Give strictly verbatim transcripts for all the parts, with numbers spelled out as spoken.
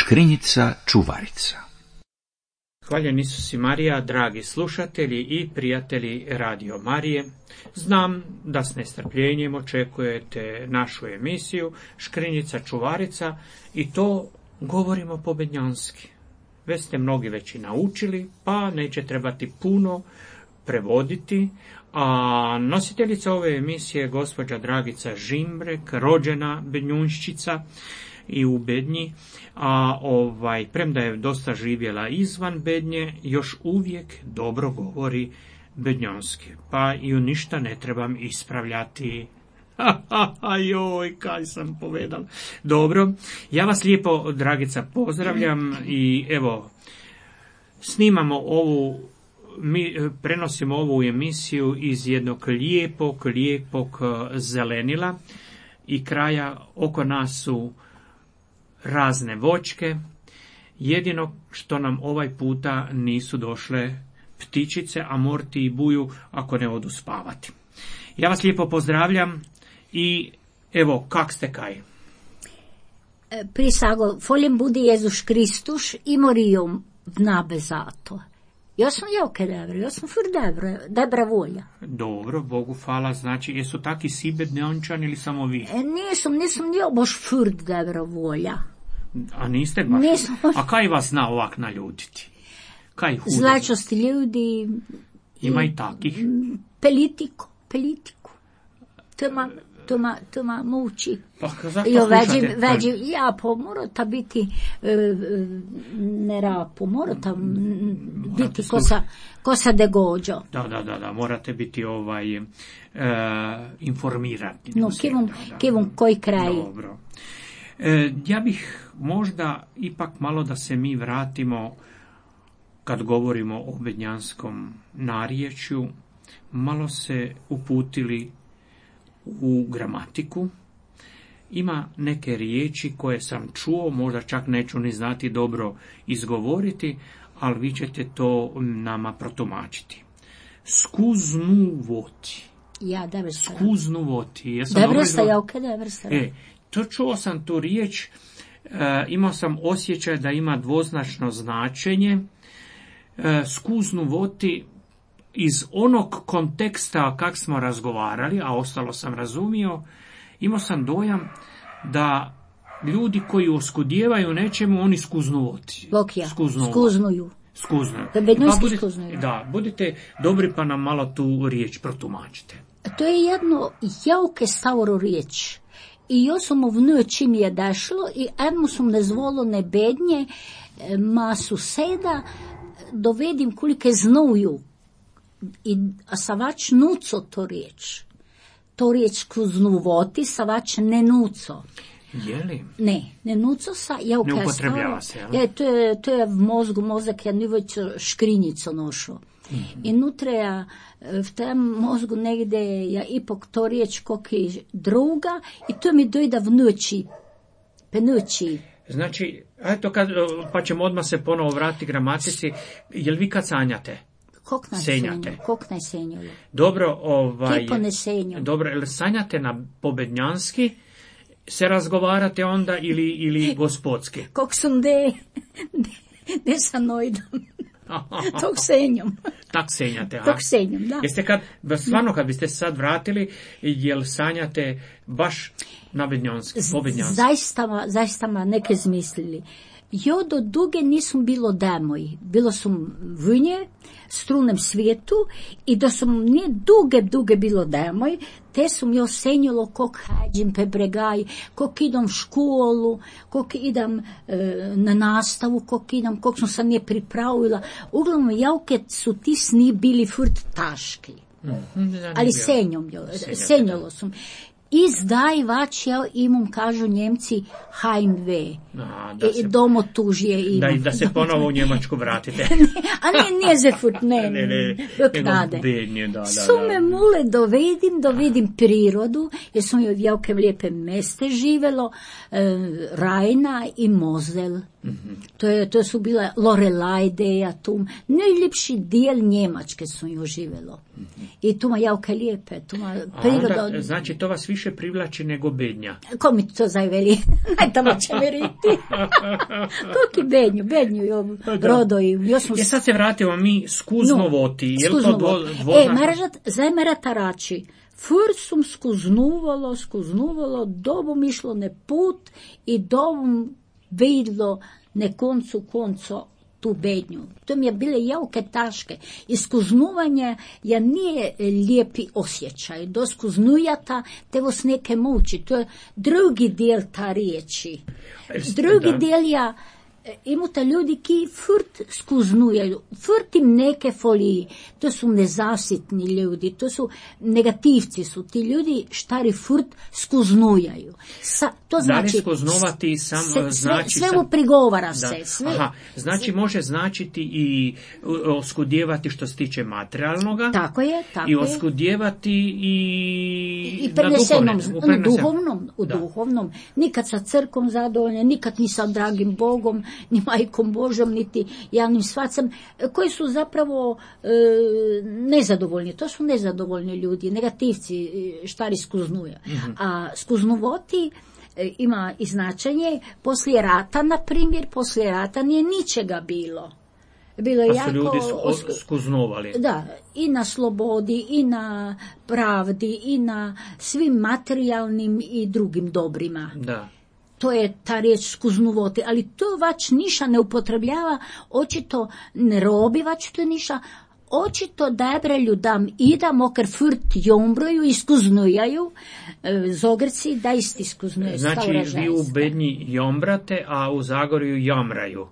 Škrinjica čuvarica. Hvaljen Isus i Marija, dragi slušatelji i prijatelji Radio Marije. Znam da s nestrpljenjem očekujete našu emisiju Škrinjica čuvarica i to govorimo pobednjanski. Već ste mnogi već i naučili, pa neće trebati puno prevoditi. A nositeljica ove emisije je gospođa Dragica Žimbrek, rođena Bednjunščica i u Bednji, a ovaj, premda je dosta živjela izvan Bednje, još uvijek dobro govori bednjonski, pa i u ništa ne trebam ispravljati. Joj, kaj sam povedal. Dobro, ja vas lijepo, Dragica, pozdravljam i evo, snimamo ovu, mi prenosimo ovu emisiju iz jednog lijepog, lijepog zelenila i kraja. Oko nas su razne voćke, jedino što nam ovaj puta nisu došle ptičice, a morti i buju ako ne odu spavati. Ja vas lijepo pozdravljam i evo, kak ste kaj? Prisago, foljem budi Jezus Kristus i morijom vnabe zato. Ja sam jako dobro, ja sam fur dobro, dobra volja. Dobro, Bogu hvala, znači, jesu taki si bednjončani ili samo vi? E, nisam, nisam ja baš fur dobra volja. A niste baš? Nisam. A kaj vas zna ovak naljutiti? Kaj hudo? Zlačosti ljudi. Ima i takih? Politiku, politiku. To ma, to ma, to ma muči. Pa zašto Jo, slušate? veđi, veđi, ja, po morata biti e, ne rapo, morata biti kosa, kosa degođo. Da, da, da, da, morate biti ovaj e, informirani. No, kivom, kivom koji kraj. Dobro. E, ja bih možda ipak malo da se mi vratimo, kad govorimo o bednjanskom narječju, malo se uputili u gramatiku. Ima neke riječi koje sam čuo, možda čak neću ni znati dobro izgovoriti, ali vi ćete to nama protumačiti. Skuznuvoti. Ja, dobro sam. Skuznuvoti. Ja Dobro sam, ja, ok, dobro sam. E, to čuo sam tu riječ, e, imao sam osjećaj da ima dvoznačno značenje. E, skuznuvoti iz onog konteksta kak smo razgovarali, a ostalo sam razumio, imao sam dojam da ljudi koji oskudijevaju nečemu, oni skuznuvoti. Lokija, skuznuju. Skuznuju. Da, bednjonski budite, skuznuju. da, budite dobri pa nam malo tu riječ protumačite. To je jedno jauke staro riječ. I ja sam ovnuje čim je dešlo i edmo sam nezvolo ne bednje ma suseda dovedim kolike znuju. I, a savač nuco to riječ. To riječ kuznuvoti, savač ne nuco. Je li? Ne, ne nuco sa, ja ne upotrebljava se, jel? Je, to je, to je v mozgu, mozak je nivoć škrinjico nošo. Mm-hmm. I nutre ja, v tem mozgu negdje ja ipak to riječ koki druga i to mi dojda v noći, pe noći. Znači, eto, kad, pa ćemo odmah se ponovo vratiti gramatici, jel vi kad sanjate? Kok na Senjate. senju, kok na senju. Dobro, ovaj... Kipo ne senju. Dobro, jel sanjate na pobednjanski, se razgovarate onda ili, ili gospodski? Kok sam de, de, de sa nojdom. Tog senjom. Tak senjate, a? Tog senjom, da. Jeste kad, stvarno kad biste se sad vratili, jel sanjate baš na bednjanski, pobednjanski? Zaista ma, zaista ma neke zmislili. Jo do duge nisam bilo demoj. Bilo sam vnje, strunem svijetu i da sam nije duge, duge bilo demoj, te sam jo senjalo kog hađim pe bregaj, kog idem v školu, kog idem e, na nastavu, kog idem, kog sam se nije pripravila. Uglavnom, javke su ti sni bili furt taški. Mm-hmm, ali senjom, jo, senjalo sam. I zdaj vač ja imam, kažu Njemci, Heimweh. A, da I domo tužije imam. Da, da se ponovo u Njemačku vratite. A ne, nije zefut, ne, ne, ne, knade. Bednje, da, da, Su da. me mule dovedim, dovedim prirodu, jer sam joj v javke lijepe meste živelo, e, Rajna i Mozel. Mm-hmm. To, je, to su bila Lorelajdeja, tu najljepši dijel Njemačke su ju živjelo. Mm-hmm. I tu ma javke lijepe, tu ma priroda. Onda, znači, to vas više privlači nego Bednja. Ko mi to zajveli? Aj tamo će mi riti. Koki Bednju, Bednju jo, rodoju. Jo smo... Je sad se vratimo mi skuznovoti. No, je li to dvo, dvo, e, maržat, zajmera tarači. Fur sum skuznuvalo, skuznuvalo, dobom išlo ne put i dobom vidlo ne koncu konco tu Bednju. To mi je bile jauke taške. I skuznuvanje je nije lijepi osjećaj. Do skuznujata te vas neke muči. To je drugi dijel ta riječi. Drugi da. dijel ja imate ljudi ki furt skuznujaju, furt im neke foliji, to su nezasitni ljudi, to su negativci su, ti ljudi štari furt skuznujaju. Sa, to znači, da li skuznuvati sam, se, znači... Sve, sve sam, mu prigovara da. se. Sve, Aha, znači sve, može značiti i oskudjevati što se tiče materijalnoga. Tako je, tako i je. oskudjevati i, I prenesenom, na na duhovnom, u da. duhovnom. Nikad sa crkom zadovoljne, nikad ni sa dragim Bogom, ni majkom Božom, niti javnim svacem, koji su zapravo e, nezadovoljni. To su nezadovoljni ljudi, negativci, štari skuznuja. Mm-hmm. A skuznuvoti e, ima i značenje, poslije rata, na primjer, poslije rata nije ničega bilo. Bilo je pa su jako, ljudi sku, skuznuvali. Da, i na slobodi, i na pravdi, i na svim materijalnim i drugim dobrima. Da. To je ta riječ skuznuvoti, ali to vač niša ne upotrebljava, očito ne robi vač to niša, očito dobre ljudam ida, moker furt jombroju i skuznujaju, zogrci da isti skuznuje. Znači vi u Bednji jombrate, a u Zagorju jamraju.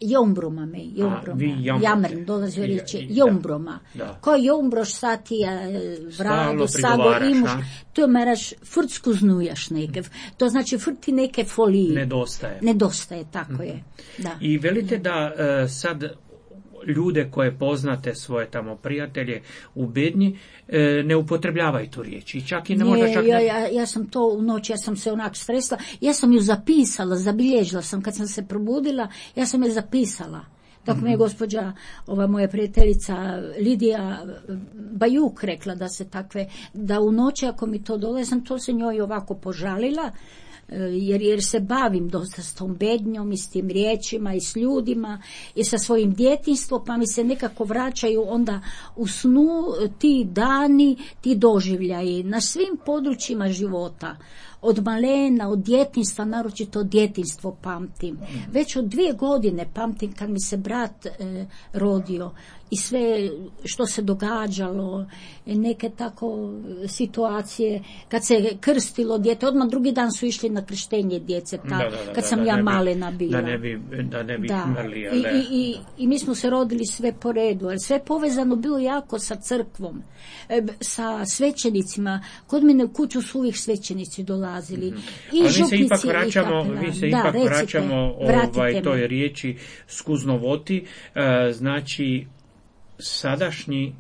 Jombroma me, jombroma. Jamrn, dolazi u riječi, jombroma. Da. Ko jombroš satija vradu, sago imuš, to meraš, furt skuznujaš nekev. To znači furt ti neke folije. Nedostaje. Nedostaje, tako mm-hmm. je. Da. I velite da uh, sad ljude koje poznate, svoje tamo prijatelje u Bednji, e, ne upotrebljavaju tu riječ. I čak i ne, ne možda čak... Ja, ja, ja sam to u noć, ja sam se onak stresla, ja sam ju zapisala, zabilježila sam kad sam se probudila, ja sam je zapisala. Dok mm-hmm. mi je gospođa, ova moja prijateljica Lidija Bajuk rekla da se takve, da u noći ako mi to dole, sam to se njoj ovako požalila, Jer, jer se bavim dosta s tom Bednjom i s tim riječima i s ljudima i sa svojim djetinjstvom, pa mi se nekako vraćaju onda u snu ti dani, ti doživljaji na svim područjima života. Od malena, od djetinjstva, naročito od djetinjstvo pamtim. Već od dvije godine pamtim kad mi se brat e, rodio i sve što se događalo, neke tako situacije, kad se krstilo dijete, odmah drugi dan su išli na krštenje djece, ta, da, da, da, kad sam da, ja da malena bila. Da ne bi, da ne bi da. mrli, I, i, i, I mi smo se rodili sve po redu, ali sve povezano bilo jako sa crkvom, e, sa svećenicima. Kod mene u kuću su uvijek svećenici dolazili. Mm-hmm. I ali župnici, mi se ipak vraćamo, mi se da, ipak recite, vraćamo ovaj, toj riječi skuznovoti, e, znači sadašnji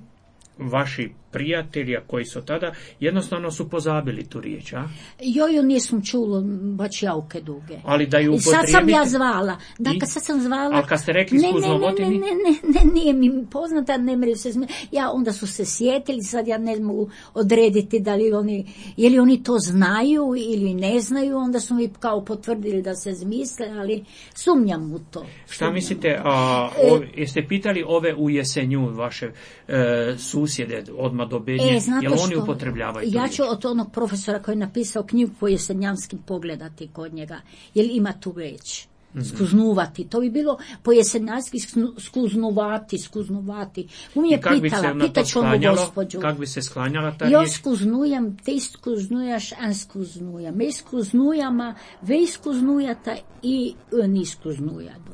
vaši prijatelji koji su tada jednostavno su pozabili tu riječ, a? Joju nisam čulo baš jauke duge. Ali da ju upotrijebite... I sad sam ja zvala. Da, kad sad sam zvala... Ali kad ste rekli skuznovoti... Ne, ne, ne, ne, ne, nije mi poznata, ne mreju se smije. Ja, onda su se sjetili, sad ja ne mogu odrediti da li oni, je li oni to znaju ili ne znaju, onda su mi kao potvrdili da se zmisle, ali sumnjam u to. Šta mislite, a, o, jeste pitali ove u Jesenju, vaše e, susjede, odmah do Bednje, e, jel oni upotrebljavaju ja ću od onog profesora koji je napisao knjigu po jesenjanskim pogledati kod njega, jel ima tu reč. Mm-hmm. Skuznuvati, to bi bilo po jesenjanski skuznuvati, skuznuvati. U mi je pitala, pitaću onu gospođu. Kako bi se sklanjala ta riječ? Jo skuznujem, te skuznujaš, an skuznujem. Me skuznujama, ve skuznujata i ni skuznujadu.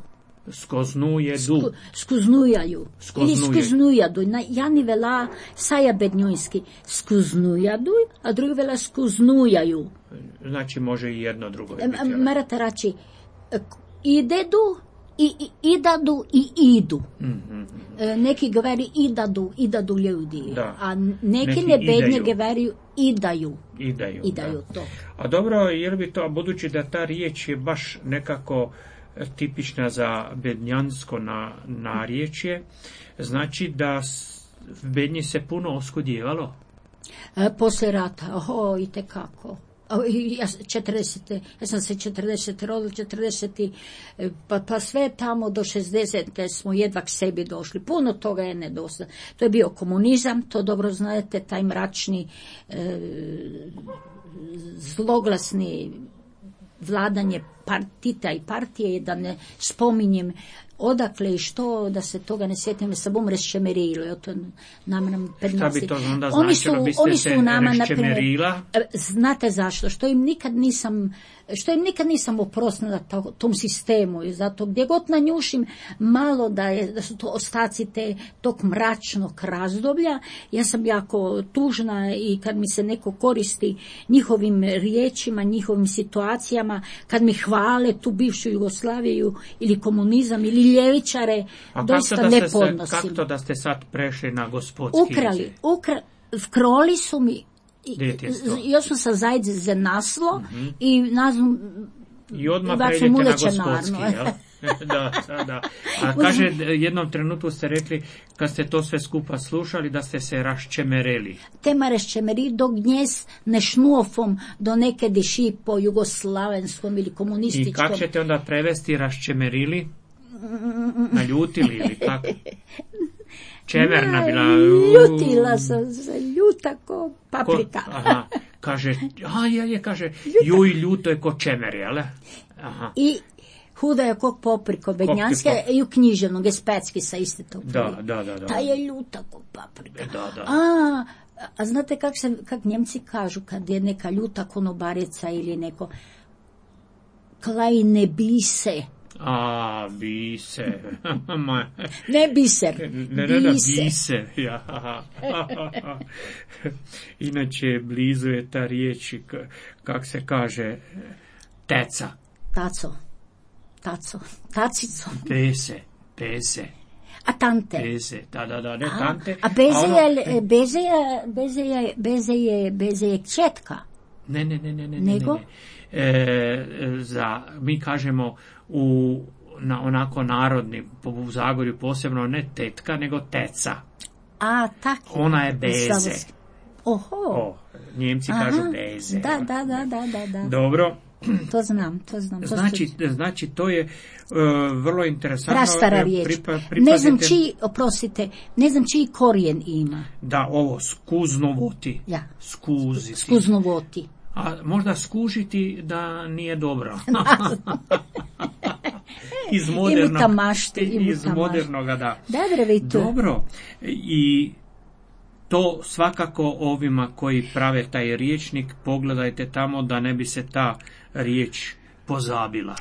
Skuznujedu. Sku, skuznujaju. Ili skuznujadu. Jani vela saja bednjojski skuznujadu, a drugi vela skuznujaju. Znači može i jedno drugo. Morate reći idedu i, i idadu i idu. Mm-hmm. Neki govori idadu, idadu ljudi. Da. A neki, neki ne bednje govori idaju. Idaju, idaju da. To. A dobro, jer bi to, budući da ta riječ je baš nekako tipična za bednjansko na, narječje, znači da v Bednji se puno oskudjevalo? E, poslije rata, oho, i tekako. Ja, četrdesete, ja sam se četrdesete rodila, četrdeseti, pa, pa sve tamo do šezdesete smo jedva k sebi došli. Puno toga je nedostaje. To je bio komunizam, to dobro znate, taj mračni, e, zloglasni vladanje partita i partije, da ne spominjem odakle i što, da se toga ne sjetim, sa bom reščemerilo. To nam Šta bi to onda oni značilo? su, Biste oni se su nama, reščemerila? Znate zašto? Što im nikad nisam, što im nikad nisam oprostila to, tom sistemu. I zato gdje god nanjušim malo da, je, da su to ostaci te, tog mračnog razdoblja, ja sam jako tužna i kad mi se neko koristi njihovim riječima, njihovim situacijama, kad mi hvale tu bivšu Jugoslaviju ili komunizam ili ljevičare, a doista ne podnosim. Kako to da ste sad prešli na gospodski? Ukrali, ukra, vkroli su mi, još sam sa Zajde za naslo mm-hmm. i nazvam i odmah pređete na gospodski, jel? Da, da, da. A kaže, jednom trenutku ste rekli, kad ste to sve skupa slušali, da ste se raščemereli. Tema raščemeri do gnjes nešnuofom do neke diši po jugoslavenskom ili komunističkom. I kako ćete onda prevesti raščemerili? Naljutili ili kako? Čemerna bila. Ljutila sam se, ljuta ko paprika. Ko, aha, kaže, a je, je, kaže, juj, ljuto je ko čemer, jel? Aha. I huda je kog popriko, bednjanske i u književnog, Especki sa iste to. Da, da, da, da. Ta je ljuta ko paprika. Da, da. A, a znate kak se, kak Njemci kažu kad je neka ljuta konobarica ili neko, klaj ne bise. A, bise. Ne biser. Ne, ne, ne, bise. Ja. Inače, blizu je ta riječ, kak se kaže, teca. Taco. Taco. Tacico. Pese. Pese. A tante. Beze, da, da, da, ne a, tante. A beze a ono, je, beze je, beze je, beze je, beze je četka. Ne, ne, ne, ne, ne. Nego? Ne, ne. E, za, mi kažemo u, na onako narodni, u Zagorju posebno, ne tetka, nego teca. A, tako. Ona je beze. Oho. O, Njemci aha, kažu beze. Da, da, da, da, da, da. Dobro. To znam, to znam. To znači, stu... znači, to je uh, vrlo interesantno. Prastara riječ. Pripa, ne znam čiji, oprostite, ne znam čiji korijen ima. Da, ovo, skuznovoti. Ja. Skuziti. Skuznovoti. A možda skužiti da nije dobro. iz modernog, maštu, iz modernoga, da. Dobre, dobro. I to svakako ovima koji prave taj riječnik, pogledajte tamo da ne bi se ta riječ pozabila.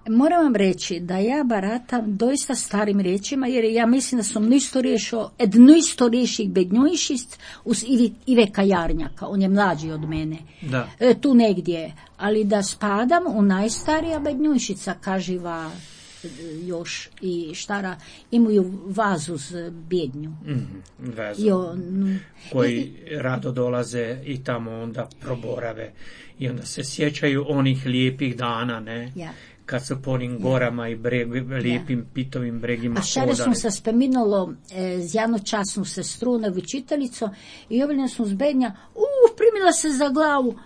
Moram vam reći da ja baratam doista starim riječima, jer ja mislim da sam nisto riješio, ednisto riješih bednjojšist uz Ive Kajarnjaka, on je mlađi od mene, da. E, tu negdje, ali da spadam u najstarija bednjojšica, kaživa još i štara, imaju vazu z bjednju. Mm-hmm, vezu. Jo, n- koji i, rado dolaze i tamo onda proborave i onda se sjećaju onih lijepih dana, ne? Ja. Kad su po onim gorama i breg, lijepim ja. pitovim bregima a šare smo se spominalo e, z jednu časnu sestru na učiteljico i ovdje smo zbednja, uh, primila se za glavu,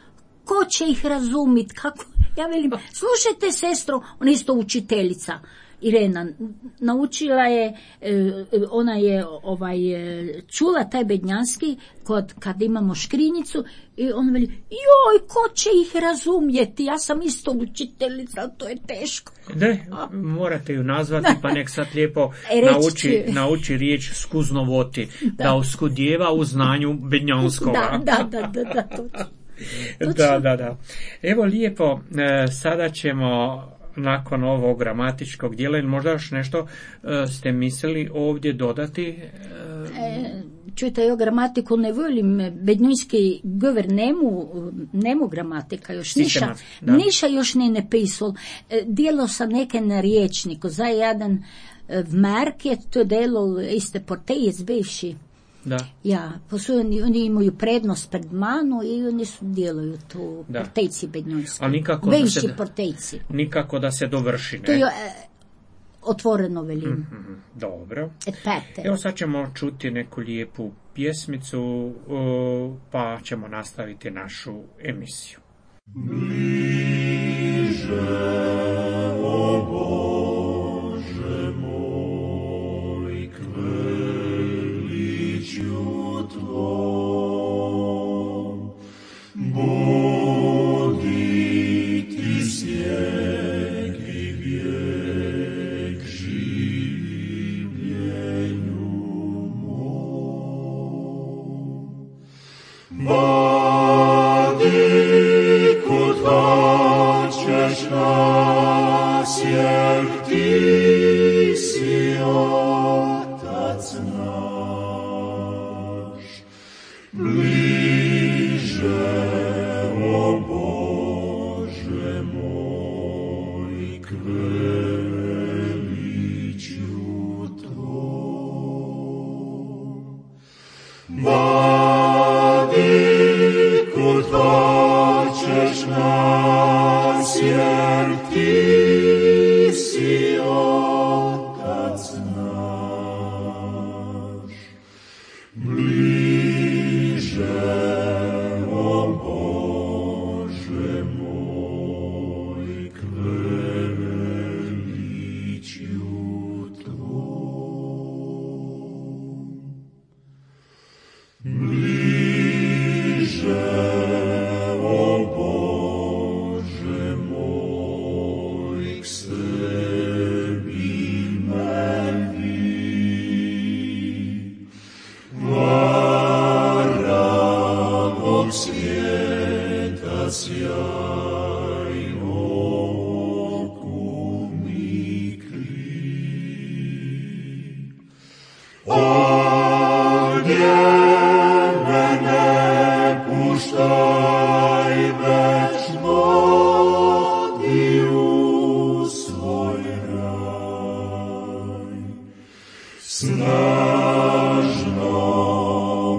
ko će ih razumit, kako, ja velim, slušajte sestro, ona isto učiteljica, Irena, naučila je, ona je ovaj, čula taj bednjanski kod, kad imamo škrinjicu i ona veli, joj, ko će ih razumjeti, ja sam isto učiteljica, ali to je teško. Ne, morate ju nazvati, pa nek sad lijepo nauči, nauči riječ skuznovoti, da, da uskudjeva u znanju bednjanskova. Da, da, da, da, da, točno. Da, da, da. Evo lijepo, sada ćemo nakon ovog gramatičkog dijela, ili možda još nešto uh, ste mislili ovdje dodati? Uh, e, čujte, ja gramatiku ne volim, bednjski govor nemu, nemu gramatika još niša, niša još ne napisal. E, dijelo sam neke na riječniku, za jedan v Market, to delo iste portejec bivši. Da. Ja, postoje, oni, oni imaju prednost pred manu i oni su djeluju tu Da. portejci bednjojski. Ali nikako da Venši se, portejci. nikako da se dovrši, ne? To je e, otvoreno velim. Mm-hmm. Dobro. Et pete. Evo sad ćemo čuti neku lijepu pjesmicu, o, pa ćemo nastaviti našu emisiju. Bliže, o Bože moj, k veličju Tvom, budi Ti snijeg i vijek življenju mom. Vodi kud hoćeš nas, jer Ti si Otac naš. Bliže, o Bože moj, k veličju Tvom. Vodi kud hoćeš nas, jer Ti si Otac naš. Bliže, o Bože moj, k veličju Tvom. Bliže, o Bože moj, k sebi me vi. Vara mog svijeta sjaj oku mi kri. Ovdje mene puštaj, već vodi u svoj raj. Snažno,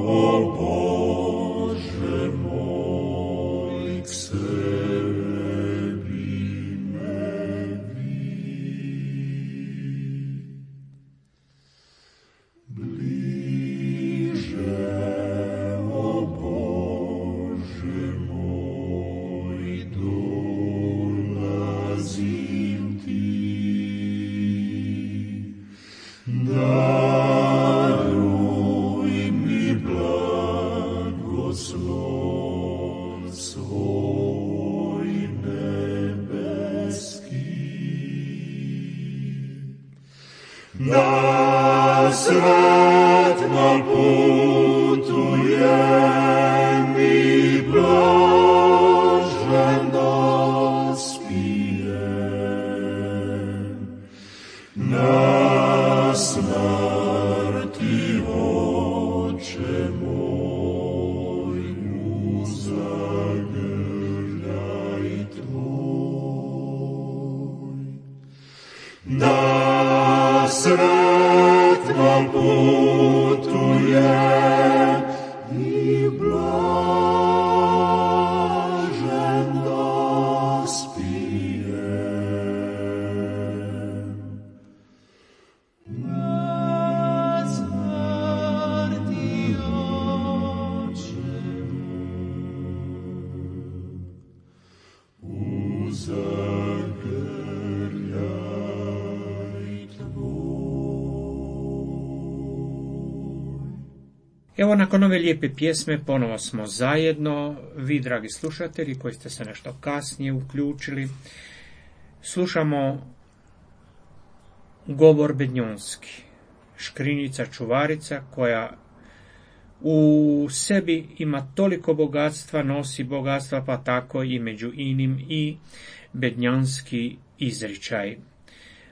o Bože moj, k sebi me vi. Bliže, o Bože moj, dolazim Ti. Daruj mi blagoslov svoj nebeski. Na sretnom putu je mi blažen dospijem. Na smrti, Oče moj, u zagrljaj Tvoj. Na sretnom putu je i blažen dospijem. Na smrti, Oče moj, u zagrljaj Tvoj. Evo, nakon ove lijepe pjesme ponovo smo zajedno, vi dragi slušatelji koji ste se nešto kasnije uključili. Slušamo govor bednjonski, Škrinjica čuvarica koja u sebi ima toliko bogatstva, nosi bogatstva, pa tako i među inim i bednjanski izričaj.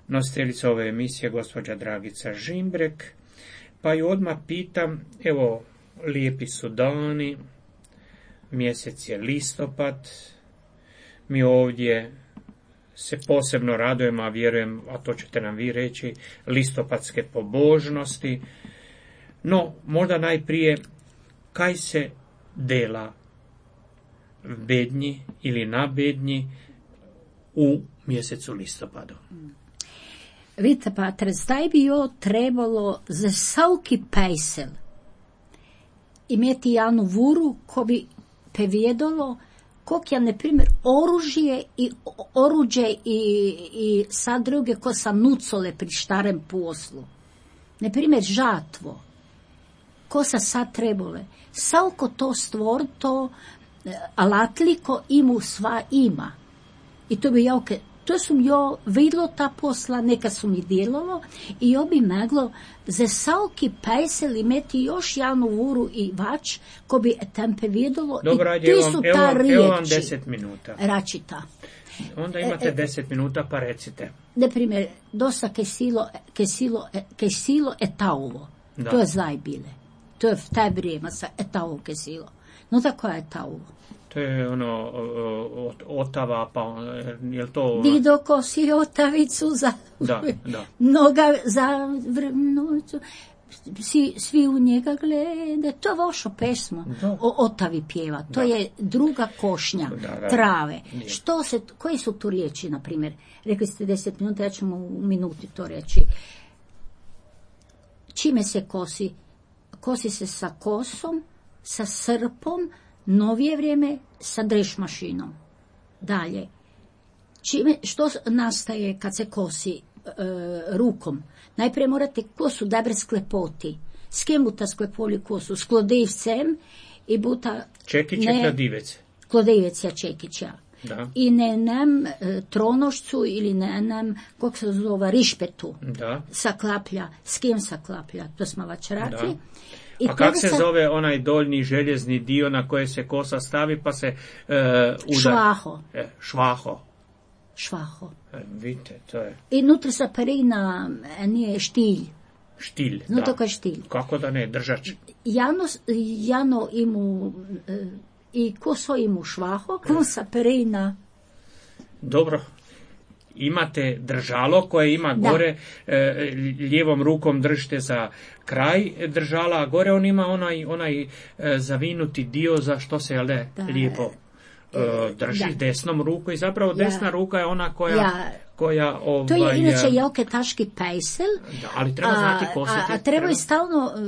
Nositeljica ove emisije gospođa Dragica Žimbrek, pa ju odmah pitam, evo, lijepi su dani, mjesec je listopad, mi ovdje se posebno radujemo, a vjerujem, a to ćete nam vi reći, listopadske pobožnosti. No, možda najprije, kaj se dela v bednji ili na bednji u mjesecu listopadu? Vidite, pa zdaj bi jo trebalo za vsaki pejsel imeti jednu vuru ko bi povedalo koliko je, na primjer, oružje i oruđe i, i sad druge ko sa nucole pri štarem poslu. Na primjer, žatvo. Ko sa sad trebole. Savko to stvor, to alatliko imu sva ima. I to bi ja, to sam jo vidlo ta posla, neka su mi djelovo i jo bi moglo za savki pejsel imeti još jednu vuru i vač ko bi tempe vidjelo. Dobra, i ti su evo, ta evo, riječi. evo vam deset minuta. Račita. Onda imate E, e, deset minuta pa recite. Na primjer, dosta kesilo, kesilo, kesilo etauvo. Da. To je zdaj bile. To je v taj vrijeme sa etauvo kesilo. No tako je etauvo. To je ono od Otava, pa je li to... Dido kosi otavicu za... Da, da. Noga za vrnucu. Svi, svi u njega glede. To je vaša pesma. Da. O Otavi pjeva. To Da. je druga košnja. Da, da. Trave. Je. Što se, koji su tu riječi, na primjer? Rekli ste deset minuta, ja ću u minuti to reći. Čime se kosi? Kosi se sa kosom, sa srpom, novije vrijeme sa dreš mašinom. Dalje. Čime, što nastaje kad se kosi e, rukom? Najprije morate kosu dobro sklepoti. S kim buta sklepoli kosu? S klodivcem i buta... Čekić je kladivec. Klodivec je čekića. Da. I ne nam e, tronošcu ili ne nam, kako se zove, rišpetu. Da. Saklaplja. S kim saklaplja? To smo već rekli. Da. I A kak se sa... zove onaj doljni željezni dio na koje se kosa stavi pa se e, udar? Švaho. E, švaho. Švaho. E, vidite, to je I nutra sa perina e, nije štilj. štilj. No da. to je štilj. Kako da ne, držač. Jano, jano imu e, i koso imu švaho, ko sa perina. Dobro. Imate držalo koje ima Da. gore, e, lijevom rukom držite za kraj držala, a gore on ima onaj, onaj e, zavinuti dio za što se jel ne, Da. lijepo e, drži Da. desnom ruku i zapravo Ja. desna ruka je ona koja, Ja. koja ovaj, To je inače e, jelke taški pejsel. da, ali treba znati kositi. A, a treba i stalno e,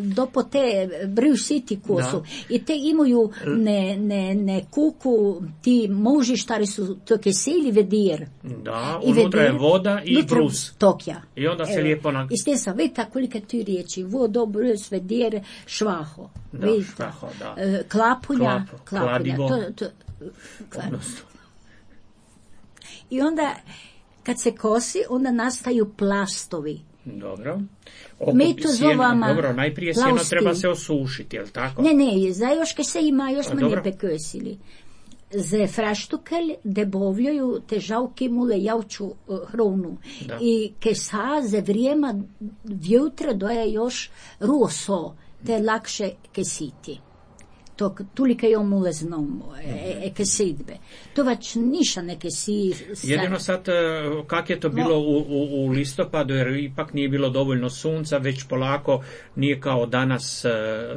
do po te briju siti kosu. I te imaju ne, ne, ne kuku ti muži štari su to kesili vedir. Da, I unutra je vedir, voda i unutra brus. Tokja. I onda se Evo, lijepo na... I ste sam, vidite kolike tu riječi. Vodo, brus, vedir, švaho. Da, Vidite. švaho, da. E, klapulja. Klapo, klapulja. kladivo. To, to, kladivo. Odnosno, I onda, kad se kosi, onda nastaju plastovi. dobro. Oko Mi to sjeno- zovemo Dobro, najprije sjeno plavski. treba se osušiti, jel tako? Ne, ne, za još ke se ima, još A, smo dobro. ne pekosili. Za fraštukelj debovljaju te žalki mule javču uh, hronu. Da. I ke sa za vrijema vjutra doje još ruoso, te lakše kesiti. To tulika je omulezno e, e kesidbe. To već niša neke si... Jedino sad, e, kak je to bilo u, u, u listopadu, jer ipak nije bilo dovoljno sunca, već polako nije kao danas e,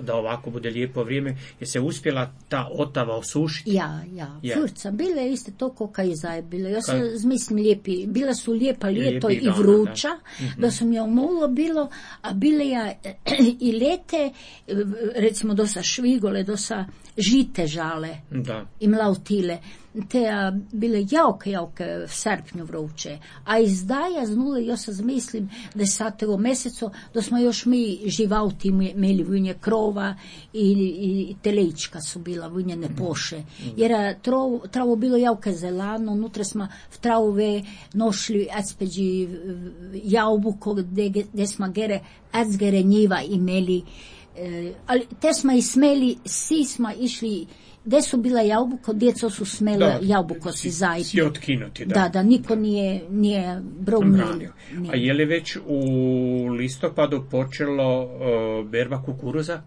da ovako bude lijepo vrijeme, je se uspjela ta Otava osušiti. Ja, ja, Je. furca, bile iste to koka i zaje bile. Ja sam Kaj? zmislim lijepi, bila su lijepa ljeto Lijepi i dana, vruća, da. Mhm. da sam ja mulo bilo, a bile ja i lete, recimo dosa švigole, dosa žite žale Da. i mlautile, te a, bile jauke, jauke v srpnju vruće. A izdaja znule, ja sam zmislim, da je sad tego meseco, da smo još mi živauti imeli vunje krova i, i telečka su bila vunje ne poše. Jer a, travo, travo bilo jauke zelano, unutra smo v travove nošli acpeđi jaubuko, gde, gde smo gere acgere njiva imeli. E, ali te smo i smeli, svi smo išli, gde su bila jabuko, djeco su smela Da, jabuko si zajti. Si otkinuti, da. Da, da, niko nije, nije bromio. Branio. A je li već u listopadu počelo uh, berba kukuruza?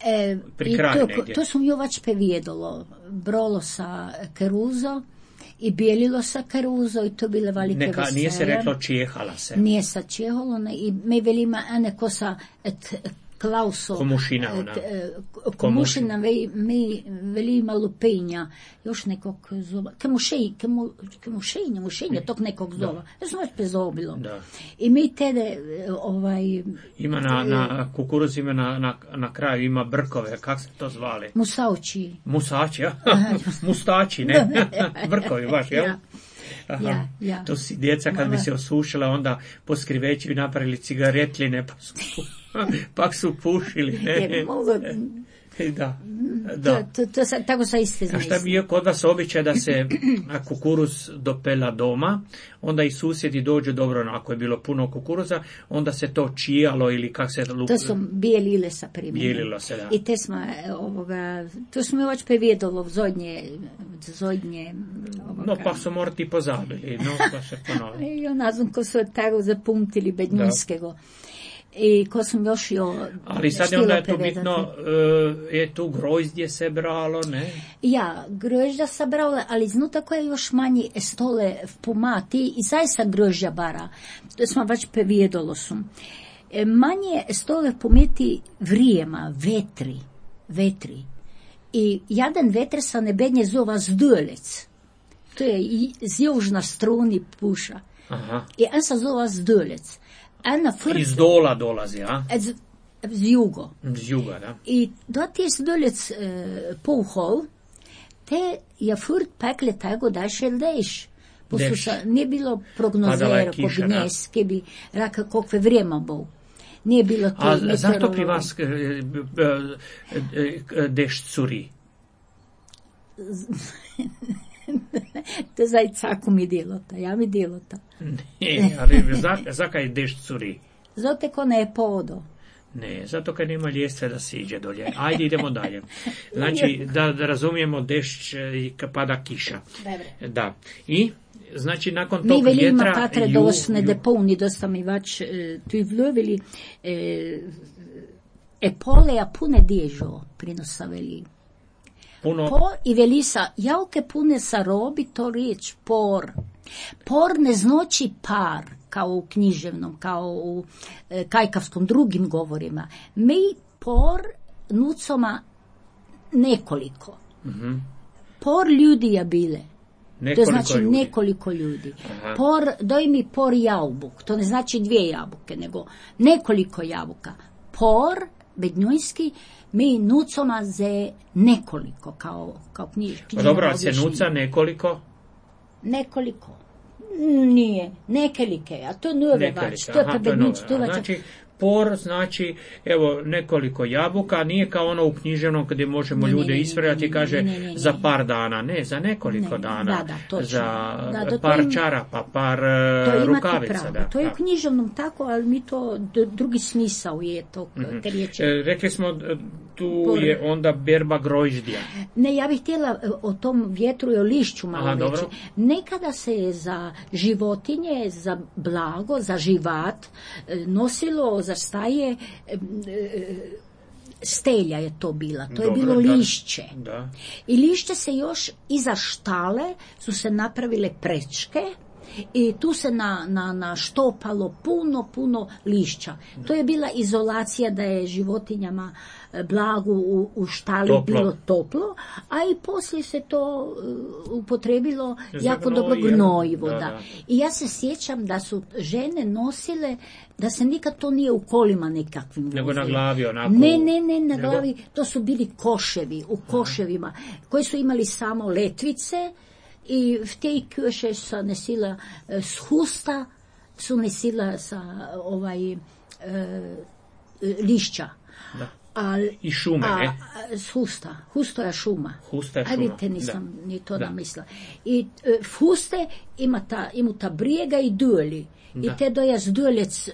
E, Pri i kraju to, negdje. to sam jo već pevijedalo. Brolo sa keruzo i bijelilo sa keruzo i to bile velike Neka, nije se veselje. reklo čijehala se. Nije sa čeholo, ne, i me velima, a neko sa et, Klauso. Komušina ona. e, Komušina ve- mi veli ima lupenja. Još nekog zova. Kemušej, kemu, kemušenja, mušenja tog nekog zova. Ja sam već prezobilo. Da. I mi tede, e, ovaj, Ima na, na kukuruz ima na, na, na kraju ima brkove, kak se to zvali? musauči. Musači, ja? Mustači, ne? Brkovi baš, jel? Ja. Aha. Ja, ja. To si djeca kad bi se osušila, onda po skriveću bi napravili cigaretline, pa su, pak su pušili. Ne? Je, mogu, Da, da. to, to, to, sa- tako sa iste A šta bi zamisli. je kod vas običaj da se a, kukuruz dopela doma, onda i susjedi dođu, dobro, no, ako je bilo puno kukuruza, onda se to čijalo ili kak se lup... To su bijelile sa primjenom. Bijelilo se, da. I te smo, e, ovoga, to smo već previjedalo zodnje, zodnje, ovoga. No, pa su morati pozabili, no, pa se ponovi. I ona znam ko su tako zapumtili bednjinskego. I ko sam još jo Ali sad je štila onda je tu prevedati. bitno, e, je tu grozdje se bralo, ne? Ja, grožđa sam brala, ali znutra koje još manji stole v pomati i zaista grožđa bara. To smo već previjedalo su. E, manje stole v pometi vrijema, vetri, vetri. I jedan vetr sa nebednje zova zdolec. To je i- z južna struni puša. Aha. I on se zova zdolec. Ena furt Iz dola dolazi, a? z, z jugo. Z juga, da? I da ti je zdolec e, pouhol, te je furt pekle tego da še deš. Deš. Posluša, nije bilo Padala je prognozero, kiša, ko bi da. nes, ki bi raka kokve vrijeme bo. Nije bilo to. A zašto meteorologije. pri vas e, e, e, dešt curi? To zdaj caku mi delota, ja mi delota. Ne, ali za, zakaj dešt curi? Zote ko ne je podo. Ne, zato kad nema ljestve da siđe dolje. Ajde, idemo dalje. Znači, da, da razumijemo dešć e, i kad pada kiša. Dobre. Da. I, znači, nakon Mi tog velima vjetra... patre ju- dosne ju- da polni dosta mi vač e, tu i vljuvili e, e pole a pune dježo prinosa veli. puno... Po i velisa, jauke pune sa robi, to riječ por. Por ne znači par, kao u književnom, kao u e, kajkavskom drugim govorima. Mi por nucoma nekoliko. Mhm. Por ljudi je bile. To Nekoliko znači ljudi. nekoliko ljudi. Aha. Por, doj mi por jaubuk. To ne znači dvije jabuke, nego nekoliko jabuka. Por, bednjojski, mi nucoma ze nekoliko, kao, kao knjiž. Pa dobro, a se objašnjenje. nuca nekoliko? Nekoliko. Nije, nekelike, a to nove Nekoliko, vač. To je aha, pa to je bednić, nove. to je A vač. Znači, por znači, evo, nekoliko jabuka, nije kao ono u književnom gdje možemo Ne, ne, ljude ne, ispravljati ne, i ne, kaže ne, ne, ne. za par dana, ne, za nekoliko Ne, dana, da, da, točno. za Da, da, to par im- čarapa, par To e, imate rukavica. pravo. Da, To je da. u književnom tako, ali mi to d- drugi smisao je to Mhm. te riječi. E, rekli smo, e, tu Por- je onda berba grožđja. Ne, ja bih htjela e, o tom vjetru i o lišću malo Aha, reći. dobro. Nekada se je za životinje, za blago, za živat e, nosilo za staje e, e, stelja je to bila. To je Dobro, bilo da. lišće. Da. I lišće se još iza štale su se napravile prečke i tu se na, na, na štopalo puno, puno lišća. To je bila izolacija da je životinjama e, blagu u, u štali Toplo. bilo toplo, a i poslije se to e, upotrebilo Za jako dobro gnojivo, gnojivo. da, Da, da. I ja se sjećam da su žene nosile, da se nikad to nije u kolima nekakvim Nego na vozili. glavi onako. Ne, ne, ne, na Nego- glavi, to su bili koševi, u koševima, koji su imali samo letvice i v tej koše su nesila e, s husta, su nesila sa ovaj e, lišća. Da. A, I šume, a, ne? a, s husta, husto je šuma. Husta je A šuma, vidite, nisam da. ni to Da. namislila. I e, v huste ima ta, ima ta brijega i duli. Da. I te doja zdulec e,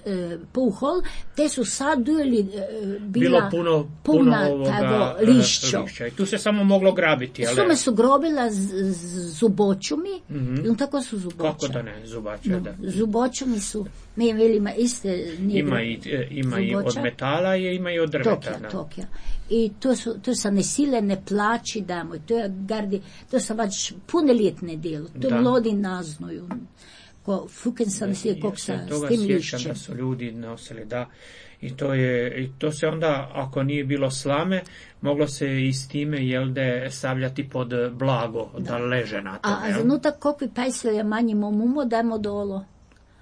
puhol, te su sad duli e, bila Bilo puno, puno puna ovoga tago e, lišćo. lišća. I tu se samo moglo grabiti, ali... Sume su grobila z, z zubočumi, Mhm. i tako su zuboča. Kako da ne, zubača, No, da. zubočumi su, mi velima iste... nije Ima bilo i, e, ima i od zuboča. metala, je, ima i od drveta. Tokija, da. Tokija. I to su, to sa nesile ne plaći damo. To je gardi, to sa vač pune ljetne djelo. To Da. mlodi naznuju. ko fukensan si kog sa Ja se toga s tim sjećam lišćem. da su ljudi nosili, da. I to je, i to se onda, ako nije bilo slame, moglo se i s time, jel de, stavljati pod blago, da, da leže na A, tome. a jel? zanutak kokvi pajsvelja manjimo mumo, dajmo dolo.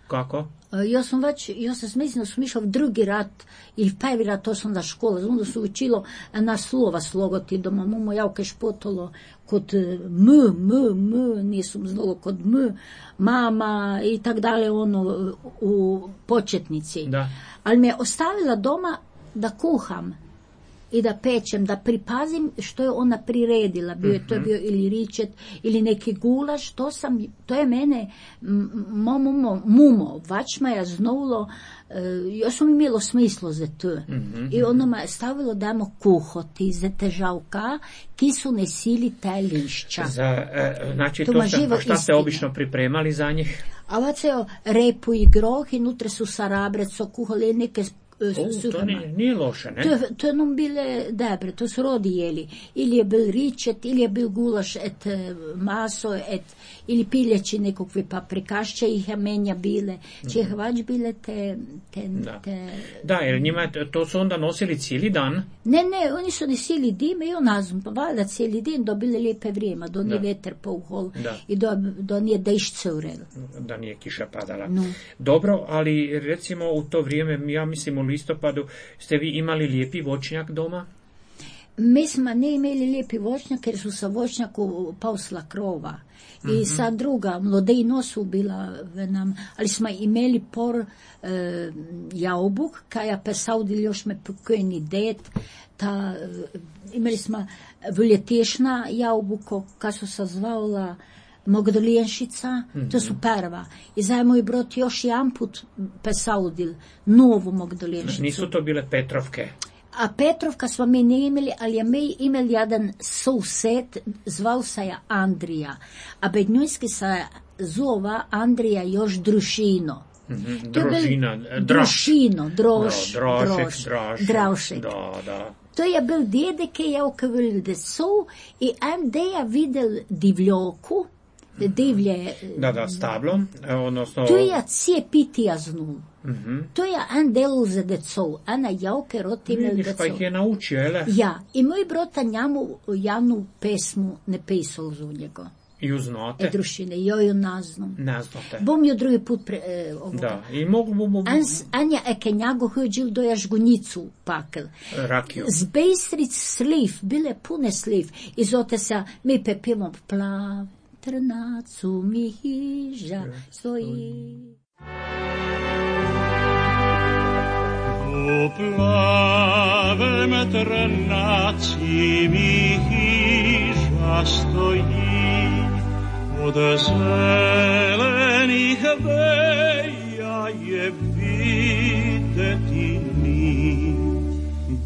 Kako? Ja sam već, ja sam mislim da sam išla v drugi rat, ili v prvi rat, to sam da škola, znam da su učilo na slova slogoti doma, mumo javke špotolo kod m, m, m, nisam znalo kod m, mama i tak dalje, ono, u početnici. Da. Ali me je ostavila doma da kuham i da pečem, da pripazim što je ona priredila. Bio je to bio ili ričet, ili neki gulaš, to sam, to je mene mo, mumo, mumo, vačma je znovilo, jo sam imelo smislo za to. Mm-hmm. I ono me je stavilo damo kuhoti za težavka, ki su nesili te lišća. Za, e, znači, To to ma ste, živo a šta ste istina. obično pripremali za njih? A ovaceo repu i groh i nutre su sarabreco kuhali neke O, to nije, nije loše, ne? To, to nam bile dobre, to su rodi jeli. Ili je bil ričet, ili je bil gulaš et maso, et, ili piljeći nekakve paprikašće ih je menja bile. Če mm-hmm. vač bile te... te, Da. te... Da, jer njima to su onda nosili cijeli dan. Ne, ne, oni su nosili dime i onazum, pa valjda cijeli din dobili lijepe vrijeme, do nije veter pouhol Da. i do, do nije dešć curel. Da nije kiša padala. No. Dobro, ali recimo u to vrijeme, ja mislim u listopadu, ste vi imali lijepi voćnjak doma? Mi smo ne imeli lijepi voćnjak jer su sa voćnjaku pausla krova. Mm-hmm. I sa druga, mlodejno su bila v nam, ali smo imeli por e, jaubuk, kaja pesaudil još me pokojni det, ta, e, imeli smo vljetešna jaubuko, ka su se zvala Mogdoljenšica, mm-hmm. to su prva. I zajedno moj brot još jedan put pesaudil novu Mogdoljenšicu. Nisu to bile Petrovke? A Petrovka smo mi ne imeli, ali je mi imeli jedan sused, zval se je Andrija. A bednjujski se zova Andrija još Drušino. Mm-hmm. Družina, draž. Drušino, droš, No, drošek, droš, draž. draušek. Da, da. To je bil dede, ki je okavil desu i en deja videl divljoku, divlje... Da, da, stablo, odnosno... To je cijepitija znul. Mm-hmm. To je en del za decov, ena javke roti imel Vidiš, decov. pa ih je naučio, ele? Ja, i moj brota njemu javnu pesmu ne pisal z njega. Ju znate? E drušine, jo ju naznam. Ne znate. Bom ju drugi put pre... E, ovoga. Da, i mogu mu... Ans, Anja eke njago hođil do jažgunicu pakel. Rakiju. Z bejstric sliv, bile pune sliv. I zote se, mi pepimo plav, trnacu mi hiža stoji. U plavem trnaci mi hiža stoji, od zelenih veja je videti mi.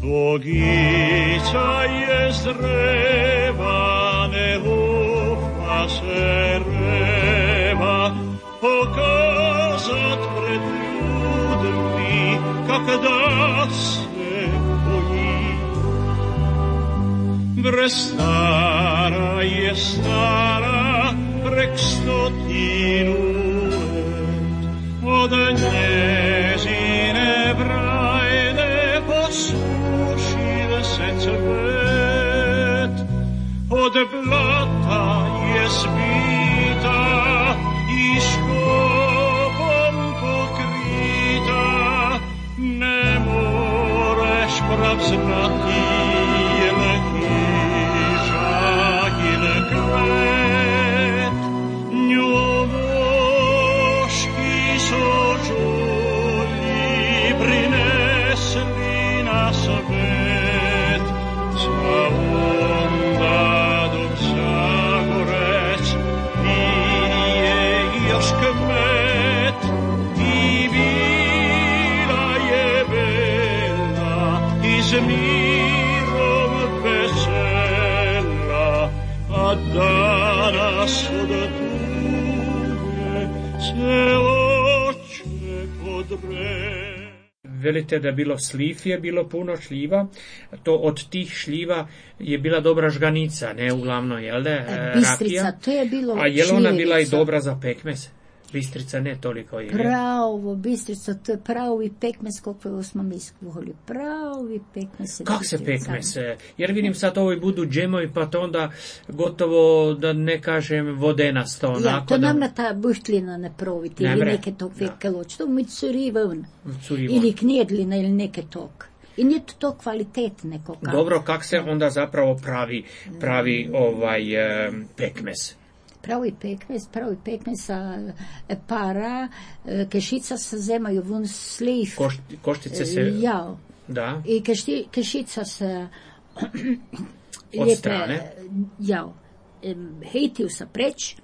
Bogica je zreva, ne ufa se reva, pokazat pred ljudmi, kak da se boji. Bre stara je stara, prek stotinu let, od njezine brajne posušil se cvet, od blata je zbita i škopom pokrita, ne moreš prav znati jel hiža jel kvet, nju moški sožulji prinesli na svet, za onda dok Zagorec nije još kmet i bila je bela i s mirom vesela, a danas od tuge se oče podre. Velite da je bilo sliv, je bilo puno šljiva, to od tih šljiva je bila dobra žganica, ne uglavnom, jel da, Bistrica, rakija? to je bilo A je li ona bila i šljivica. dobra za pekmez? Bistrica ne toliko je. Pravo, Bistrica, to je pravi pekmez, koliko smo mi skuhali. Pravi pekmez. Kako se pekmez? Jer vidim sad ovo i budu džemovi, pa to onda gotovo, da ne kažem, vodenasto. Ja, onako, to da... nam na ta buštlina ne proviti, ili Nemre. neke tog fekeloć. To mi curi ven. Curi ven. Ili knjedlina, ili neke tog. I nije to, to kvalitet neko kako. Dobro, kak se onda zapravo pravi, pravi ovaj e, pekmez? Pravi pekmez, pravi pekmez sa e, para, e, kešica se zemaju vun sliv. Koš, koštice se... E, ja. Da. I kešti, kešica se od lijepe, strane. Ja. E, hejtiju sa preć.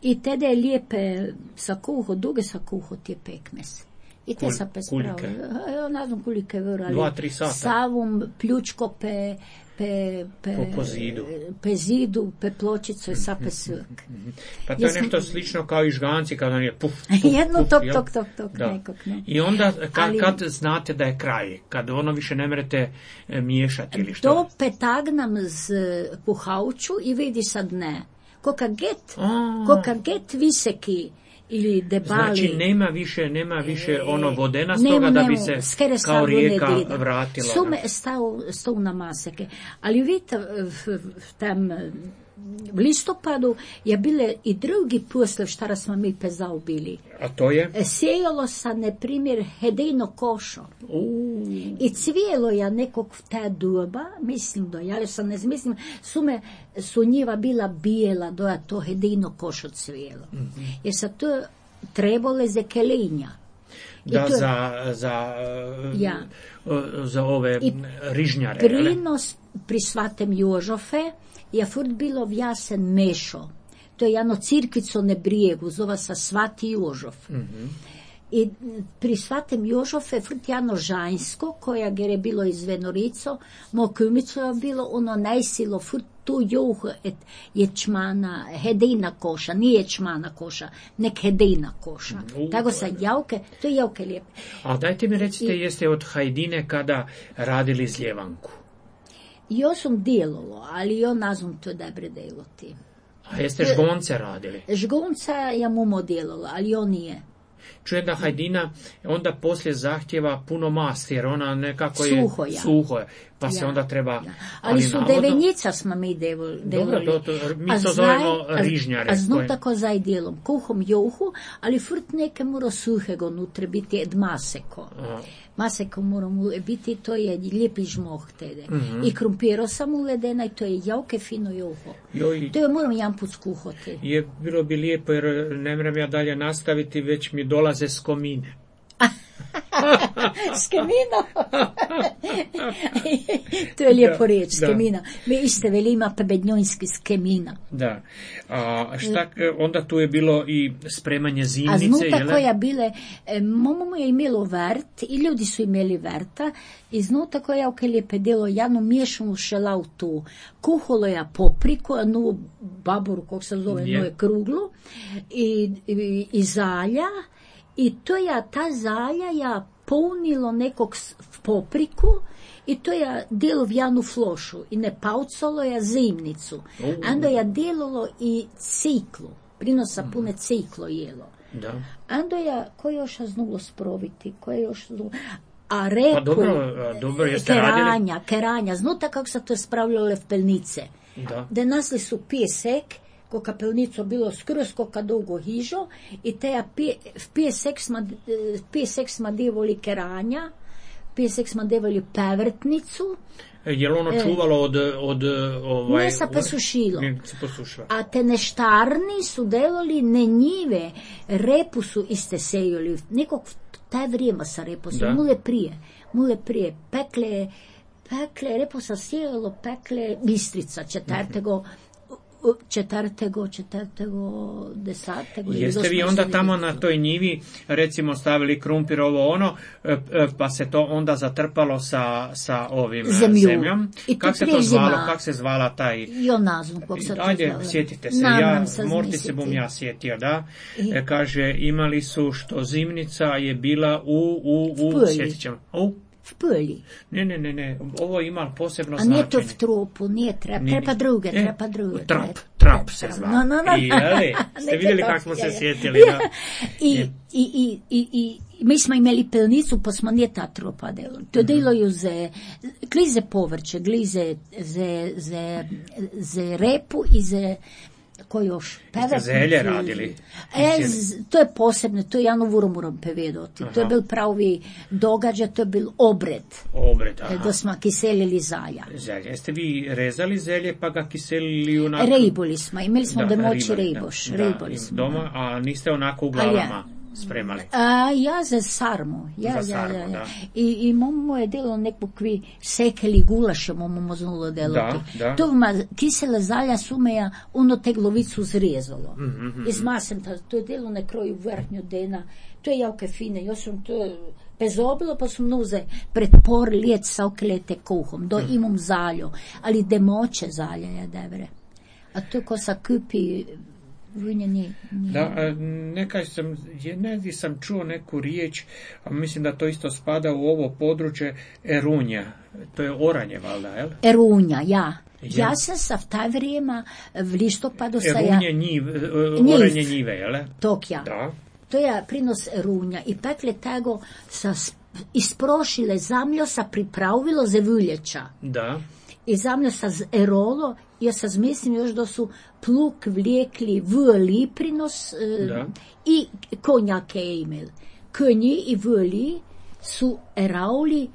I tada je lijepe sa kuho, duge sa kuho ti je pekmez. I te Kul, sa pe kulike. Ja ne znam kulike vero, ali Dva, tri sata. savom pljučko pe, pe, pe, Po, po zidu. pe zidu, pe pločicu i sa pe svuk. Pa to je Jesam- nešto slično kao i žganci kada on je puf, puf, Jedno puf, tok, jel? tok, tok, tok, Da. nekog, ne. I onda kad, Ali- kad znate da je kraj, kad ono više ne merete e, miješati ili što? To petagnam z puhauču i vidi sad ne. Koka get, A. koka get viseki ili debali. Znači nema više, nema više ono vodenastoga Nemo, da bi nemo, se skere kao savu rijeka ne dida. vratila. Sume stao, stao na maseke. Ali vidite, v, v tam v listopadu je bile i drugi posle šta smo mi pezao bili. A to je? Sejalo sa, na primjer, hedejno košo. Uuu. I cvijelo ja nekog v te doba, mislim do, ja sam ne mislim, su me, su njiva bila bijela, do ja to hedejno košo cvijelo. Mm-hmm. Jer sa to trebole za kelinja. I Da, to je za, za, Ja. za ove I rižnjare. jel? prinos pri svatem Jožofe je furt bilo vjasen mešo. To je jedno cirkvico na brijegu, zova se Svati Jožof. Mhm. I pri svatem Jožofe furt jedno žanjsko, koja je bilo iz Venorico, mo kumico je bilo ono najsilo furt tu juh et ječmana, hedejna koša, nije ječmana koša, nek hedejna koša. U, Tako to sa je- javke, to je javke lijepe. A dajte mi recite, I- jeste od Hajdine kada radili zljevanku? Jo sam delalo, ali jo ne znam to dobre delati. A jeste žgonce radili? Žgonca ja mu delala, ali jo nije. Čujem da Hajdina onda poslije zahtjeva puno masti, jer ona nekako je Suho je. suho je, pa se Ja, onda treba... ja. Ali su navodno- devenjica smo mi devol, Dobro, devoli. to, to, mi A to zaj- zovemo a- rižnjare. A zno koje- tako zaj dijelom. Kuhom juhu, ali furt neke mora suhego nutre biti ed maseko. A, Maseko mora mu biti, to je lijepi žmoh tede. Mhm. I krumpiro sam uledena i to je jauke fino juho. joj, To je moram jedan put skuhoti. je, bilo bi lijepo jer ne moram ja dalje nastaviti, već mi dolaze s komine. S kemina. To je lijepo Da, riječ, s da. kemina. Mi iste velima pebednjonski s kemina. Da. A šta, onda tu je bilo i spremanje A zimnice, znutra jel? koja bile, e, momo je imelo vrt i ljudi su imeli vrta i znutra koja je lijepe delo jednu miješanu šelautu, kuholo je popriku, jednu baboru, kog se zove, Je. jednu je kruglu i, i, i zalja i to je ta zalja ja punilo nekog s- popriku i to je delo v jednu flošu i ne paucalo je zimnicu. U. Onda je delalo i ciklu, prinosa pune ciklo jelo. Da. Ando ja, ko još znulo sproviti, ko je još znulo... A repu, Pa dobro, a, dobro, jeste radili? keranja, keranja, znuta kako se to spravljale v pelnice. Da. Da nasli su pijesek, ko kapelnico bilo skroz koka dolgo hižo, i te ja pije, v pijesek smo, eh, pijesek smo devali keranja, pijesek smo devali pevrtnicu, Je li ono E. čuvalo od... od ovaj, Ne sa posušilo. Ne se posušilo. a te neštarni su delali ne njive, repu su iste sejali, nekog v taj vrijeme sa repu su, Da. mule prije, mule prije, pekle, pekle, repo sa sejalo, pekle, Bistrica, četrtego, četrtego, četrtego, desatego. ili Jeste vi osmog onda ili tamo devetog. na toj njivi recimo stavili krumpir ovo ono, e, e, pa se to onda zatrpalo sa, sa ovim e, Zemlju. zemljom? I to Kako se to prije zvalo? zima. Kako se zvala taj... Jo nazvam, kog se to Ajde, zove. sjetite se, Nam ja, nam se morti se bum zmisliti. ja sjetio, da. I- E, kaže, imali su što zimnica je bila u, u, u, Pulji. sjetit ćemo, u v Pölji. Ne, ne, ne, ne, ovo ima posebno A značenje. nije to v trupu, nije trep, Nije. trepa druge, E, trepa druge. Trap, Trep, trap se zva. No, no, no. I, jeli, ste Neke vidjeli to- kako smo se ja, ja. sjetili, Ja. da? I, Je. i, i, i, i mi smo imeli pelnicu, pa smo nije ta trupa delo. To Mhm. delaju ze, glize povrće, glize ze, ze, ze repu i ze, ko još? Jeste zelje radili? E, z- to je posebno, to je Janu Vuromurom pevedoti. To je Aha. bil pravi događaj, to je bil obred, Obred, e, aha. da smo kiselili zalja. Zelje. Jeste vi rezali zelje pa ga kiselili onako? Rejboli smo, imeli smo Da, domoći ribali, rejboš, da, rejboli da, smo. doma, a niste onako u Ali ja- glavama spremali. A, ja za sarmu. Ja, Za ja, sarmu, ja, ja. da. I, i momo je delo nekakvi sekeli gulaše, momo moznulo delati. Da, da. To ma kisele zalja sumeja ono te glovicu zrezalo. Mhm, mhm. Izmasem ta, to je delo na kroju vrhnju dena. To je jako fine. Ja sam to pezobilo, pa sam nuze pred por let sa oklete kuhom. Do Mhm. imam zaljo. Ali demoće zalja je devre. A to ko sa kupi vunje nije. nije. Da, a, nekaj sam, je, negdje sam čuo neku riječ, a mislim da to isto spada u ovo područje, erunja. To je oranje, valjda, jel? Erunja, ja. Je. Ja sam sa v taj vrijeme v listopadu sa ja Erunje njiv, e, Njiv. oranje njive, jel? Tokja. Da. To je prinos erunja. I pekle tego sa sp- isprošile zamljo sa pripravilo za vuljeća. Da. I zamljo sa z erolo, ja sa zmislim još da su pluk vlijekli v liprinos e, Da. i konjake je imel. Konji i vli su erauli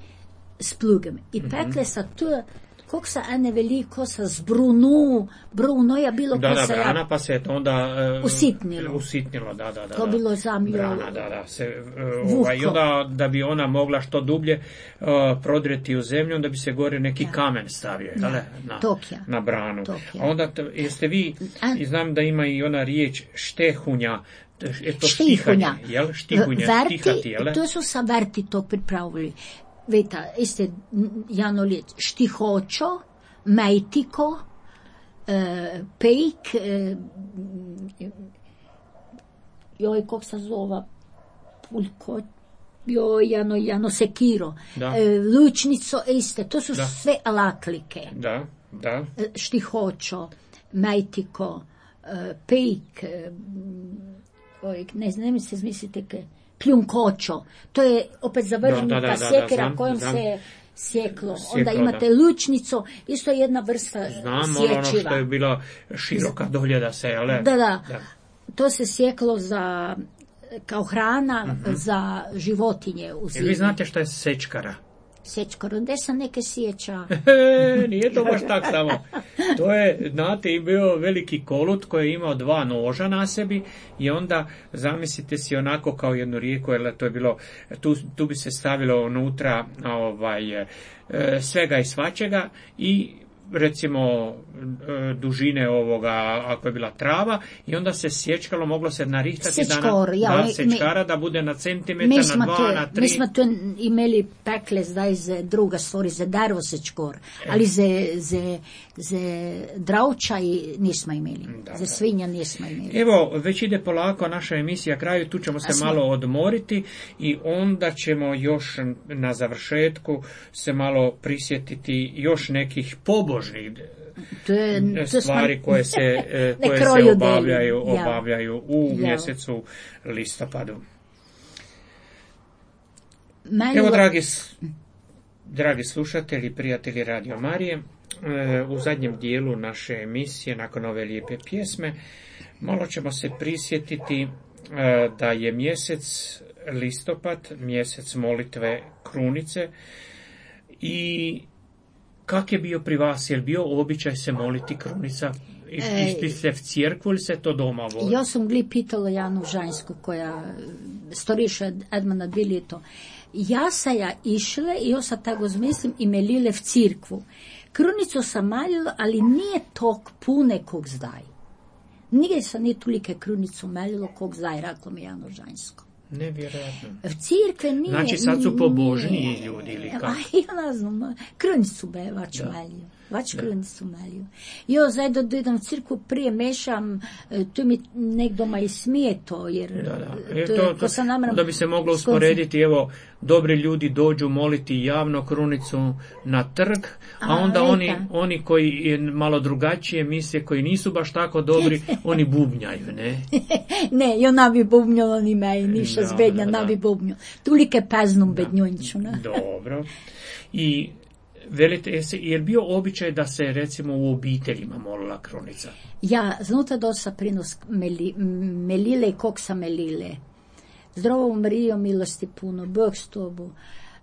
s plugem. I pekle sa to, kog sa ene veliko sa zbrunu, bruno je bilo Da, ko da, sa brana, pa se je to onda e, Usitnilo. Usitnilo, da, da, da. To da. bilo zamljo. Brana, da, da. Se, e, Vuhko. ovaj, i onda da bi ona mogla što dublje uh, prodreti u zemlju, onda bi se gore neki Da. kamen stavio, Da. jel? Na, Tokja. na branu. Tokja. A onda, t- jeste vi, A- i znam da ima i ona riječ štehunja, t- je to Štihunja. štihanje, jel? Štihunja, Verti, štihati, jel? to su sa verti to pripravili. Veta, iste n- Jano liječ, štihočo, mejtiko, e, pejk, e, joj, kog se zova, pulko, joj, Jano, Jano sekiro, Da. e, lučnico, iste, to su Da. sve alaklike. Da, da. E, štihočo, mejtiko, e, pejk, e, oj, ne znam, ne mi se zmislite, ke, kljunkočo, to je opet zavržena Da, da, da, da, sjekera znam, kojom znam. se sjeklo. Sjeklo, Onda imate da. lučnico, isto je jedna vrsta Znam ono, ono sječiva. što je bila široka doljeda se, jel? Da, da, to se sjeklo za, kao hrana za životinje u Jel zimi. vi znate što je sečkara? Sječkoro, gdje sam neke sjeća? E, nije to baš tak samo. To je, znate, i bio veliki kolut koji je imao dva noža na sebi i onda zamislite si onako kao jednu rijeku, jer to je bilo, tu, tu bi se stavilo unutra ovaj, e, svega i svačega i recimo e, dužine ovoga, ako je bila trava, i onda se sječkalo, moglo se narihtati da, Sečkor, na, ja, da mi- sečkara da bude na centimetar, Mi na smo, dva, to, na tri. mi smo to imeli pekle zdaj za druga stvari, za darvo sečkor, ali za, za, za dravča i nismo imeli. Da, za da. svinja nismo imeli. Evo, već ide polako naša emisija kraju, tu ćemo se A smo- malo odmoriti i onda ćemo još na završetku se malo prisjetiti još nekih pobožnih To je, to stvari smo- koje se, e, Ne koje se kroju obavljaju, deli, ja. obavljaju u Ja. mjesecu listopadu. Meni Evo, lo- dragi, s- dragi slušatelji, prijatelji Radio Marije, e, u zadnjem dijelu naše emisije, nakon ove lijepe pjesme, malo ćemo se prisjetiti e, da je mjesec listopad, mjesec molitve krunice, i kak je bio pri vas? Je li bio običaj se moliti krunica? Ej. Išli ste v cirkvu ili se to doma voli? Ja sam gli pitala Janu Žanjsku, koja storiša Edmana dvi ljeto. Ja sam ja išla i ja sam tako zmislim i melile v cirkvu. Krunicu sam malila, ali nije tok pune kog zdaj. Nije sam ni tolike krunicu melilo kog zdaj, rekla mi Jano Žanjsko. Nevjerojatno. V cirkve nije... Znači sad su pobožniji nije. ljudi ili kako? A ja ne znam, krunicu bevač Da. melio. Vač krunicu malju. Jo, zajedno do jednom cirku prije mešam, tu mi nekdoma i smije to, jer da, da. E, to, to, to sam namram, da bi se moglo usporediti, evo, dobri ljudi dođu moliti javno krunicu na trg, a, a onda oni, oni koji je malo drugačije misle, koji nisu baš tako dobri, oni bubnjaju, ne? Ne, jo nabi bubnjalo ni mej, niša zbednja, nabi bubnjalo. Tulike peznom bednjunču, ne? Dobro. I velite, je li bio običaj da se recimo u obiteljima molila krunica? Ja, znuta dosa prinos meli, melile i koksa melile. Zdravo Marijo, milosti puno, Bog s tobu.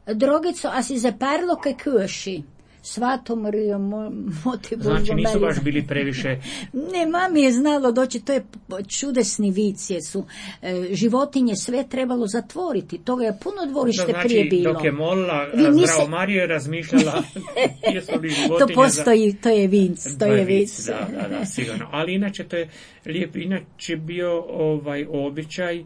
Drogico, a si zaparlo kaj kuši? Svato Marijo, mo, moti Božo Znači nisu Marijo. baš bili previše... Ne, mami je znalo doći, to je čudesni vicije su. E, životinje sve trebalo zatvoriti, toga je puno dvorište da, znači, prije bilo. Dok je molila, Vi niste... Zdravo Marijo je razmišljala jesu li životinje... To postoji, za... to je vinc, to, to je vic. Da, da, da, sigurno. Ali inače to je lijep, inače bio ovaj običaj,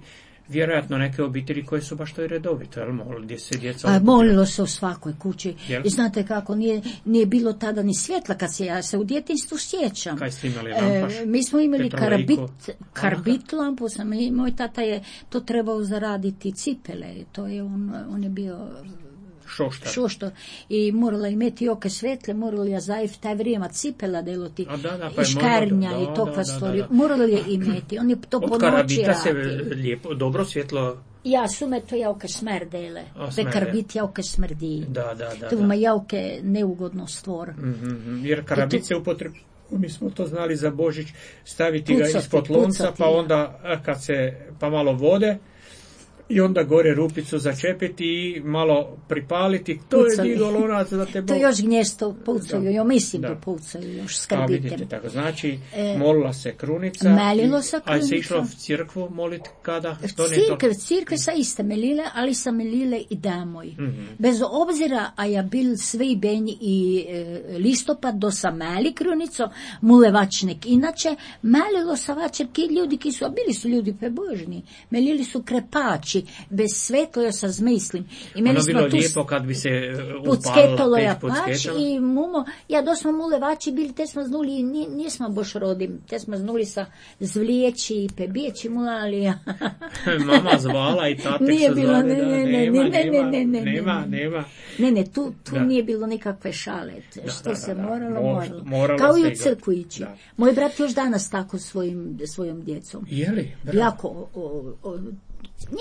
vjerojatno neke obitelji koje su baš to i redovito, jel, gdje se djeca... A, molilo se u svakoj kući. Jel? I znate kako, nije, nije bilo tada ni svjetla, kad se ja se u djetinjstvu sjećam. Kaj ste imali, lampaš? E, mi smo imali Petrolejko? karbit, karbit lampu, sam, i moj tata je to trebao zaraditi cipele, to je on, on je bio... Šoštar. Šoštar. I morala imeti oke svetle, morala je zaif taj vrijeme cipela deloti, A da, da, pa i škarnja da, i tokva da, stvari. da, da. Morala je imeti, on je to po Od noći karabita se radi. lijepo, dobro svjetlo... Ja sume to jauke smerdele, te karbit jauke smrdi. Da, da, da. To ima jauke neugodno stvor. Mm-hmm. Jer karabit tu... se upotrebu, mi smo to znali za Božić, staviti pucati, ga ispod lonca, pucati, pa onda kad se, pa malo vode, i onda gore rupicu začepiti i malo pripaliti. To pucaju. Je digo lonac da te Bog... To još gnjesto pucaju, jo mislim da. da pucaju još s A karbitem. vidite, tako, znači E, molila se krunica. melilo se A krunica. se išlo u crkvu moliti kada? To ne Cirkev, cirkev sa iste melile, ali sa melile i damoj. Mm-hmm. Bez obzira, a ja bil sve benj i e, listopad do sa meli krunico, mulevačnik. Inače, melilo sa vačer ki ljudi ki su, a bili su ljudi prebožni, melili su krepači, bez svetlo ja sa zmislim. I meni ono smo bilo tu lijepo kad bi se upalila pucketalo ja peć pač i mumo, ja dosmo mulevači bili, te smo znuli, ni, nismo boš rodim, te smo znuli sa zvlijeći i pebijeći mulali. Mama zvala i tatek nije su bilo, zvali, ne, da, ne, nema, ne, ne, nema, ne, ne, nema, ne, nema. Ne, ne, tu, tu Da. nije bilo nikakve šale, što da, se da, da. moralo, Mo- moralo. moralo Kao se i u igrati. crkvu ići. Da. Moj brat još danas tako svojim, svojom djecom. Je li? Bravo. Jako, o, o, o,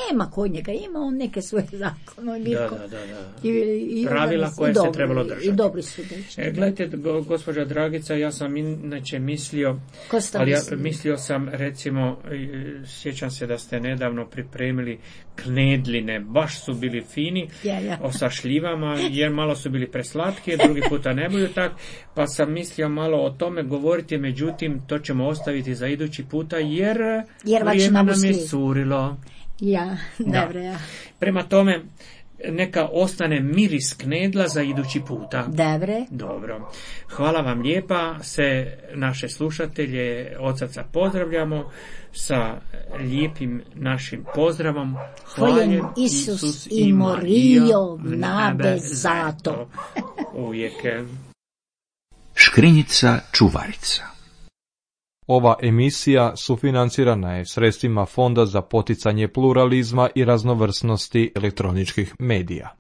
nema kod njega, ima on neke svoje zakone. Da, da, da, da. I, i Pravila onda- koje i se dobri, trebalo držati. I dobri su dečki. E, gledajte, go, gospođa Dragica, ja sam inače mislio, Ko ste ali ja mislili? mislio sam, recimo, e, sjećam se da ste nedavno pripremili knedline, baš su bili fini, Ja, ja. o sa šljivama, jer malo su bili preslatki, drugi puta ne budu tak, pa sam mislio malo o tome govoriti, međutim, to ćemo ostaviti za idući puta, jer, Jer vaš vrijeme nam je namusli. curilo. Ja, Da. dobro, ja. Prema tome, neka ostane miris knedla za idući puta. Dobre. Dobro. Hvala vam lijepa. Se naše slušatelje od srca pozdravljamo sa lijepim našim pozdravom. Hvaljen Isus i Morijo nabe zato. Uvijek. Škrinjica čuvarica. Ova emisija sufinancirana je sredstvima Fonda za poticanje pluralizma i raznovrsnosti elektroničkih medija.